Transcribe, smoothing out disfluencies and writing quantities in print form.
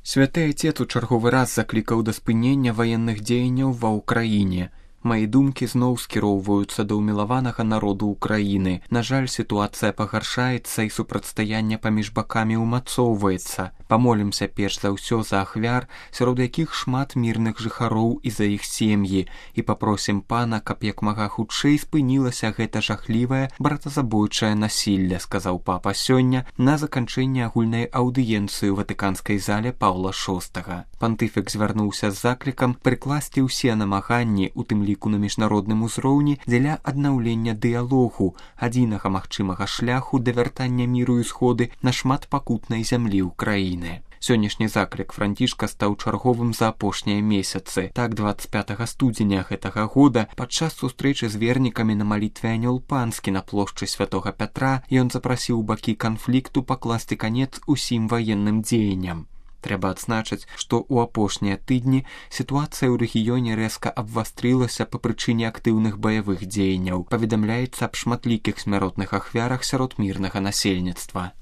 Святы Отец у чарговы раз заклікаў да спынення ваенных дзеянняў ва ўкраіне. Мае думкі зноў скіроўваюцца да ўмілаванага народу Украіны. На жаль, сітуацыя пагаршаецца і супрацьстаянне паміж бакамі ўмацоўваецца. Памолімся перш за ўсё за ахвяр, сярод якіх шмат мірных жыхароў і за іх сем'і, і папросім пана, каб як мага хутчэй спынілася гэта жахлівае братазабойчае насілле, сказаў папа сёння на заканчэнні агульнай аўдыенцыі ў ватыканскай зале Паўла VI. Пантыфік звярнуўся з заклікам прыкласці ўсе намаганні, у тым ліку на міжнародным узроўні, дзеля аднаўлення дыялогу, адзінага магчымага шляху да вяртання міру і сходы на шмат пакутнай зямлі ўкраіны. Сённяшні заклік Францішка стаў чарговым за апошнія месяцы. Так, 25 студзеня гэтага года падчас сустрэчы з вернікамі на малітве Анёл Панскі на плошчы Святога Пятра ён запрасіў бакі канфлікту пакласці канец усім ваенным дзеянням. Трэба адзначыць, што ў апошнія тыдні сітуацыя ў рэгіёне рэзка абвастрылася па прычыне актыўных баявых дзеянняў. Паведамляецца аб шматлікіх смяротных ахвярах сярод мірнага насельніцтва.